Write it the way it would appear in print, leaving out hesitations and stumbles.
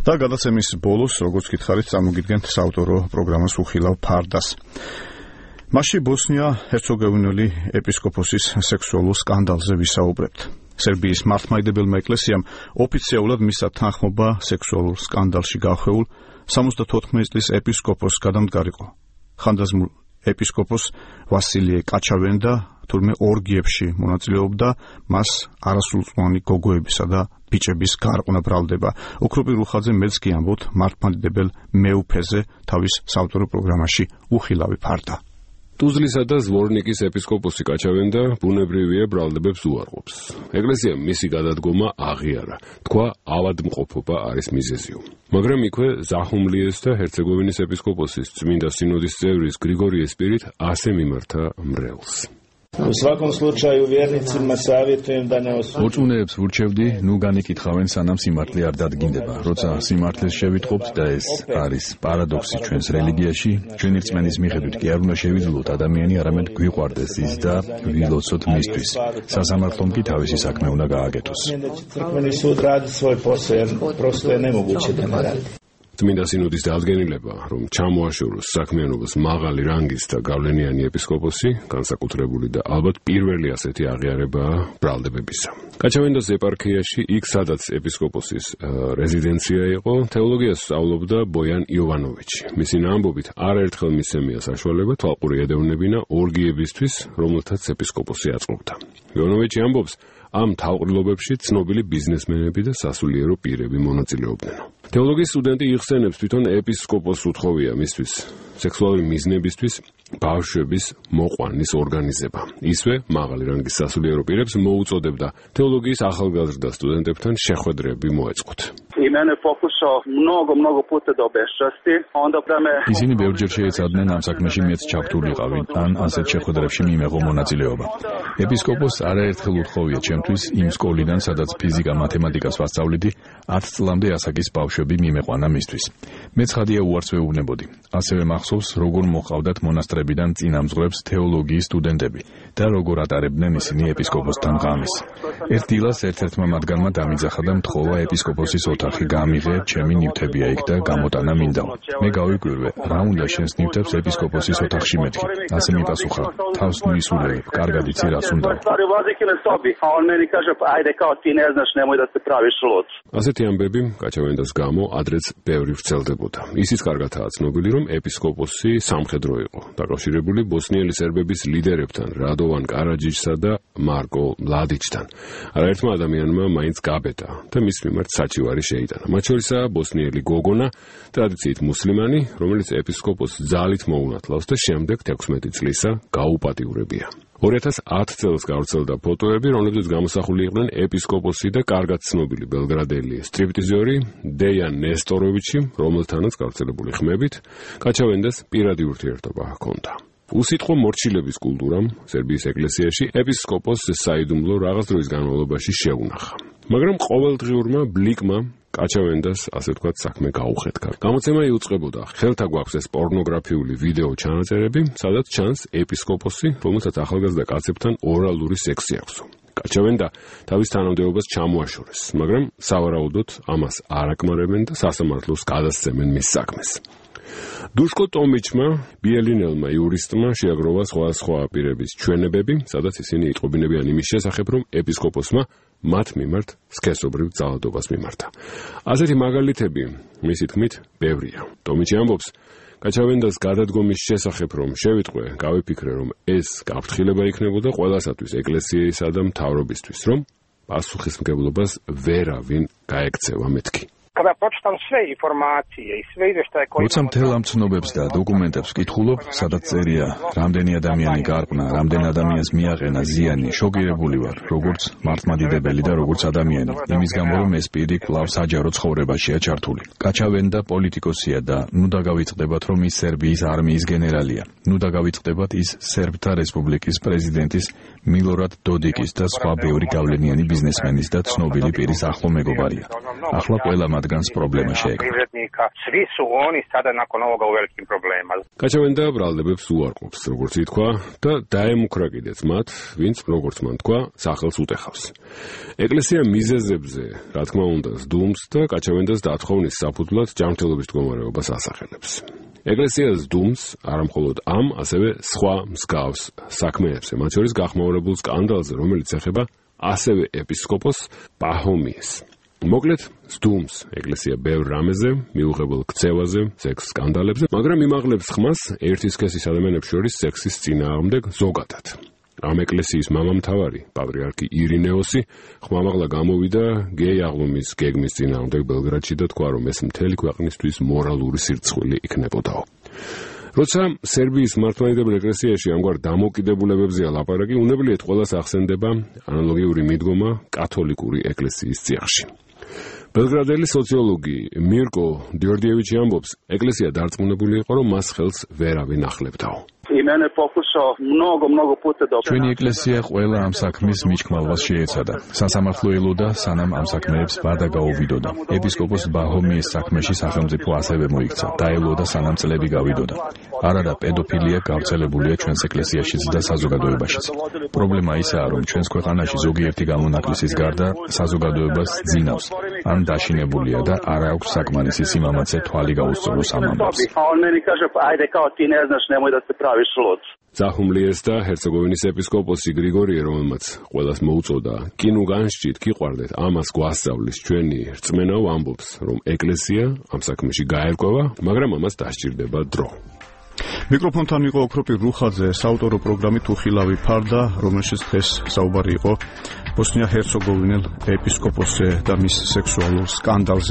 და გადაცემის ბოლოს, როგორც გითხარით, წარმოგიდგენთ საავტორო პროგრამას უხილავ ფარდას. მასში ბოსნია-ჰერცეგოვინელი ეპისკოპოსის სექსუალურ სკანდალზე ვისაუბრებთ. სერბიის მართლმადიდებელმა ეკლესიამ ოფიციალურად მისცა თანხმობა სექსუალურ სკანდალში გახვეულ 74 წლის ეპისკოპოსს გადამდგარიყო. ხანდაზმულ ეპისკოპოს ვასილიე კაჩავენდა თურმე ორგიებში მონაწილეობდა, მას არასრულწლოვანი გოგოებისა და ბიჭების გარყვნა ბრალდება. ოქროპი რუხაძე მეც კი ამბობთ მართლმადიდებელ მეუფეზე თავის საავტორო პროგრამაში უხილავი ფარდა. ტუზლისა და ზვორნიკის ეპისკოპოსი კაჩავენდა ბუნებრივია ბრალდებებს უარყოფს. ეკლესიამ მისი გადადგომა აღიარა. თქვა ავადმყოფობა არის მიზეზი. მაგრამ იქვე ზაჰუმლიეს და ჰერცეგოვინის ეპისკოპოსის წმინდა სინოდის წევრის გრიგორი ესპირით ასე მიმართა მრევლს. ორწმუნეებს ვურჩევდი, ნუ განიკითხავენ სანამ სიმართლე არ დადგინდება. როცა სიმართლეს შევიტყობთ და ეს არის პარადოქსი ჩვენს რელიგიაში, ჩვენი რწმენის მიხედვით კი არ უნდა შევიძლოთ ადამიანი, არამედ გვიყვარდეს ის და ვილოცოთ მისთვის. სასამართლომ კი თავისი საქმე უნდა გააკეთოს. წმინდა სინოდის დადგენილება, რომ ჩამოაშოროს საქმიანობას მაღალი რანგის და გავლენიანი ეპისკოპოსი, განსაკუთრებული და ალბათ პირველი ასეთი აღიარებაა ბრალდებებისა. კაჩავენდას ეპარქიაში, იქ სადაც ეპისკოპოსის რეზიდენცია იყო, თეოლოგიას სწავლობდა ბოიან იოვანოვიჩი. მისი ამბობით, არაერთხელ მისცემია საშუალება თვალყური ედევნებინა ორგიებისთვის, რომელთაც ეპისკოპოსი აწყობდა. იოვანოვიჩი ამბობს, ამ თავყრილობებში ცნობილი ბიზნესმენები და სასულიერო პირები მონაწილეობდნენ. თეოლოგიის სტუდენტი იხსენებს, თვითონ ეპისკოპოსს უთხოვია მისთვის სექსუალური მიზნებისთვის ბავშვების მოყვანის ორგანიზება. ისვე მაღალი რანგის სასულიერო პირებს მოუწოდებდა თეოლოგიის ახალგაზრდა სტუდენტებთან შეხვედრები მოეწყოთ. ისინი ბევრჯერ შეეცადნენ ამ საქმეში მეც ჩართულიყავი, ან ასეთ შეხვედრებში მიმეღო მონაწილეობა. ეპისკოპოსს არაერთხელ უთხოვია ჩემთვის იმ სკოლიდან, სადაც ფიზიკა, მათემატიკას ვასწავლიდი, 10 წლამდე ასაკის ბავშვები მიმეყვანა მისთვის. მე ცხადია უარს ვეუბნებოდი. ასევე მახსოვს, როგორ მოყავდათ მონასტრებიდან წინამძღვრებს თეოლოგიის სტუდენტები და როგორ ატარებდნენ ისინი ეპისკოპოსთან ღამეს. ერთ დილას ერთ-ერთმა მათგანმა დამიძახა და მთხოვა ეპისკოპოსის ოთახი გამიღე, ჩემი ნივთებია იქ და გამოტანა მინდაო. მე გავიკვირვე, რა უნდა შენს ნივთებს ეპისკოპოსის ოთახში მეთქი. ასე მიპასუხა, თავს მისულებ, კარგად იცი რას უნდა. ასეთი ამბები კაჩავენდას გამო ადრეც ბევრი ვრცელდებოდა. ისიც კარგადაა ცნობილი, რომ ეპისკოპოსი სამხედრო იყო, დაკავშირებული ბოსნიელი სერბების ლიდერებთან, რადოვან კარაჯიჩსა და მარკო მლადიჩთან. არაერთმა ადამიანმა მაინც გაბედა და მის მიმართ საჩივარი შეიტანა. მათ შორისაა ბოსნიელი გოგონა, ტრადიციით მუსლიმანი, რომელიც ეპისკოპოსს ძალით მოუნათლავს და შემდეგ 16 წლისა გაუპატიურებია. 2010 წელს გავრცელდა ფოტოები, რომლებზეც გამოსახული იყვნენ ეპისკოპოსი და კარგად ცნობილი ბელგრადელი სტრიპტიზორი დეიან ნესტოროვიჩი, რომელთანაც გავრცელებული ხმებით კაჩავენდას პირადი ურთიერთობა ჰქონდა. უსიტყვო მორჩილების კულტურამ სერბიის ეკლესიაში ეპისკოპოსს საიდუმლო რაღაც დროის განმავლობაში შეუნახა. მაგრამ ყოველდღიურმა ბლიკმა კაჩავენდას ასე ვთქვათ საქმე გაუხეთქა. გამოცემა იუწყებოდა, ხელთა გვაქვს ეს პორნოგრაფიული ვიდეო ჩანაწერები, სადაც ჩანს ეპისკოპოსი, რომელსაც ახალგაზრდა კაცებთან ორალური სექსი აქვს. კაჩავენდა თავის თანამდებობას ჩამოაშორეს, მაგრამ სავარაუდოდ ამას არ აკმარებენ და სასამართლოს გადასცემენ მის საქმეს. დუშკო ტომიჩმა, ბიელინელმა იურისტმა შეაგროვა სხვა პირების ჩვენებები, სადაც ისინი იტყობინებიან იმის შესახებ, რომ ეპისკოპოსმა მათ მიმართ სქესობრივ ძალადობას მიმართა. ასეთი მაგალითები, მისი თქმით, ბევრია. ტომიჩი ამბობს, კაჩავენდას გადადგომის შესახებ რომ შევიტყვე, გავიფიქრე, რომ ეს გაფრთხილება იქნებოდა ყველასათვის, ეკლესიისა და მთავრობისთვის, რომ პასუხისმგებლობას ვერავინ გაექცევა მეთქი. როცა მთელ ამ ცნობებს და დოკუმენტებს ვკითხულობ, სადაც წერია, რამდენი ადამიანი გარყნა, რამდენ ადამიანს მიაყენა ზიანი, შოკირებული ვარ, როგორც მართლმადიდებელი და როგორც ადამიანი. იმის გამო, რომ ეს პირი კვლავ საჯარო ცხოვრებაშია ჩართული. კაჩავენდა პოლიტიკოსია და ნუ დაგავიწყდებათ, რომ ის სერბიის არმიის გენერალია. ნუ დაგავიწყდებათ, ის სერბთა რესპუბლიკის პრეზიდენტის მილორად დოდიკის და სხვა ბევრი გავლენიანი ბიზნესმენის და ცნობილი პირის ახლო მეგობარია. ახლა ყველა მათ რადგანაც პრობლემა შეექმნა. კაჩავენდა ბრალდებებს უარყოფს, როგორც ითქვა, და დაემუქრა კიდეც მათ, ვინც, როგორც მან თქვა, სახელს უტეხავს. ეკლესია მიზეზებზე, რა თქმა უნდა, სდუმს და კაჩავენდას დათხოვნის საფუძვლად ჯანმრთელობის მდგომარეობას ასახელებს. ეკლესია სდუმს არამხოლოდ ამ, ასევე სხვა მსგავს საქმეებზე, მათ შორის გახმაურებულ სკანდალზე, რომელიც ეხება ასევე ეპისკოპოს პაჰომიეს. მოკლედ, სდუმს ეკლესია ბევრ რამეზე, მიუღებელ ქცევაზე, სექს სკანდალებზე, მაგრამ იმაღლებს ხმას ერთი სქესის ადამიანებს შორის სექსის წინააღმდეგ ზოგადად. ამ ეკლესიის მამამთავარი, პატრიარქი ირინეოსი, ხმამაღლა გამოვიდა გეი აღლუმის გეგმის წინააღმდეგ ბელგრადში და თქვა, რომ ეს მთელი ქვეყნისთვის მორალური სირცხვილი იქნებოდაო. როცა სერბიის მართლმადიდებელ ეკლესიაში ამგვარ დამოკიდებულებებზეა ლაპარაკი, უნებლიეთ ყველას ახსენდება ანალოგიური მიდგომა კათოლიკური ეკლესიის წიაღში. ბელგრადელი სოციოლოგი მირკო დიორდიევიჩი ამბობს, ეკლესია დარწმუნებული იყო, რომ მას ხელს ვერავინ ახლებდაო. ჩვენი ეკლესია ყველა ამ საქმის მიჩქმალვას შეეცადა. სასამართლო ელოდა, სანამ ამ საქმეებს ვადა გაუვიდოდა. ეპისკოპოს ბაჰომიეს საქმეში სახელმწიფო ასევე მოიქცა. დაელოდა, სანამ წლები გავიდოდა. არა, პედოფილია გავრცელებულია ჩვენს ეკლესიაშიც და საზოგადოებაშიც. პრობლემა ისაა, რომ ჩვენს ქვეყანაში ზოგიერთი გამონაკლისის გარდა საზოგადოებას ძინავს, ან დაშინებულია და არ აქვს საკმარისი სიმამაცე თვალი გაუსწოროს ამ ამბავს. ზაჰუმლიეს და ჰერცეგოვინის ეპისკოპოსი გრიგორიე, რომელმაც ყველას მოუწოდა კი ნუ განსჭით, კი ყვარდეთ, ამას გვასწავლის ჩვენი რწმენაო, ამბობს, რომ ეკლესია ამ საქმეში გაერკვევა, მაგრამ ამას დასჭირდება დრო. მიკროფონთან იყო ოქროპირ რუხაძე, საავტორო პროგრამით უხილავი ფარდა, რომელშიც დღეს საუბარი იყო ბოსნია-ჰერცეგოვინელ ეპისკოპოსზე და მის სექსუალურ სკანდალზე.